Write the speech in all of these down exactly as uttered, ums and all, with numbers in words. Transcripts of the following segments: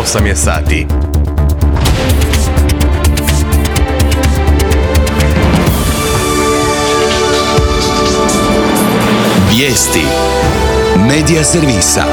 osam je sati. Vijesti Medija servisa.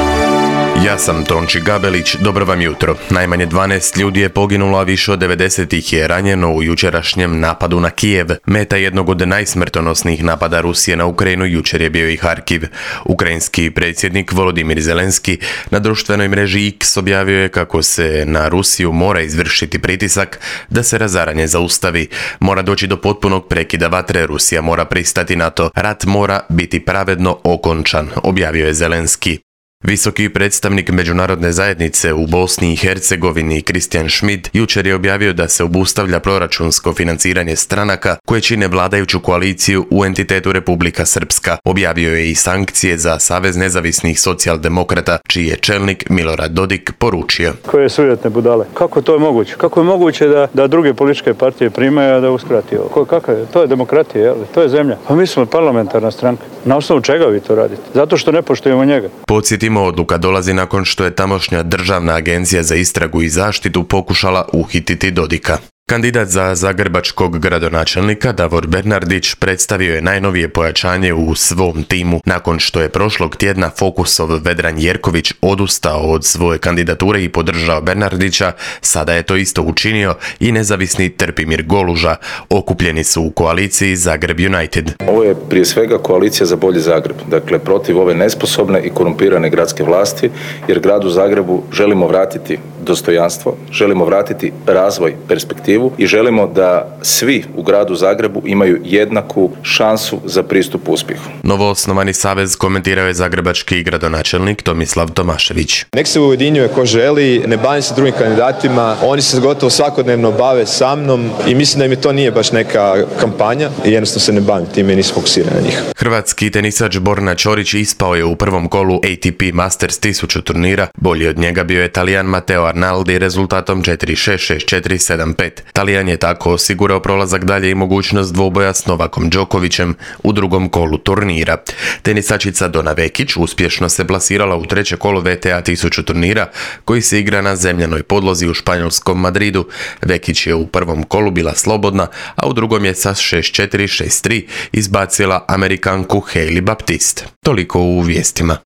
Ja sam Tonči Gabelić, dobro vam jutro. Najmanje dvanaest ljudi je poginulo, a više od devedeset ih je ranjeno u jučerašnjem napadu na Kijev. Meta jednog od najsmrtonosnijih napada Rusije na Ukrajinu jučer je bio i Harkiv. Ukrajinski predsjednik Volodimir Zelenski na društvenoj mreži X objavio je kako se na Rusiju mora izvršiti pritisak da se razaranje zaustavi. Mora doći do potpunog prekida vatre, Rusija mora pristati na to. Rat mora biti pravedno okončan, objavio je Zelenski. Visoki predstavnik međunarodne zajednice u Bosni i Hercegovini Christian Schmidt jučer je objavio da se obustavlja proračunsko financiranje stranaka koje čine vladajuću koaliciju u entitetu Republika Srpska. Objavio je i sankcije za Savez nezavisnih socijaldemokrata, čiji je čelnik Milorad Dodik poručio. Koje sujetne budale. Kako to je moguće? Kako je moguće da, da druge političke partije primaju, a da uskrati ovo? Ko, kakav je? To je demokratija, jel? To je zemlja. Pa mi smo parlamentarna stranka. Na osnovu čega vi to radite? Zato što ne poštujemo njega. Podsjetimo, odluka dolazi nakon što je tamošnja Državna agencija za istragu i zaštitu pokušala uhititi Dodika. Kandidat za zagrebačkog gradonačelnika Davor Bernardić predstavio je najnovije pojačanje u svom timu nakon što je prošlog tjedna Fokusov Vedran Jerković odustao od svoje kandidature i podržao Bernardića. Sada je to isto učinio i nezavisni Trpimir Goluža. Okupljeni su u koaliciji Zagreb United. Ovo je prije svega koalicija za bolji Zagreb, dakle protiv ove nesposobne i korumpirane gradske vlasti, jer gradu Zagrebu želimo vratiti dostojanstvo, želimo vratiti razvoj, perspektivu i želimo da svi u gradu Zagrebu imaju jednaku šansu za pristup uspjehu. Novoosnovani savez komentirao je zagrebački gradonačelnik Tomislav Tomašević. Nek se ujedinjuje ko želi, ne bavim se drugim kandidatima, oni se gotovo svakodnevno bave sa mnom i mislim da mi to nije baš neka kampanja i jednostavno se ne bavim time i nisam fokusiran na njih. Hrvatski tenisač Borna Ćorić ispao je u prvom kolu A T P Masters tisuću turnira. Bolji od njega bio je Talijan Matteo Arnaldi rezultatom četiri šest, šest četiri, sedam pet. Talijan je tako osigurao prolazak dalje i mogućnost dvoboja s Novakom Đokovićem u drugom kolu turnira. Tenisačica Dona Vekić uspješno se plasirala u treće kolo V T A tisuću turnira koji se igra na zemljanoj podlozi u španjolskom Madridu. Vekić je u prvom kolu bila slobodna, a u drugom je sa šest četiri, šest tri izbacila Amerikanku Hailey Baptiste. Toliko u vijestima.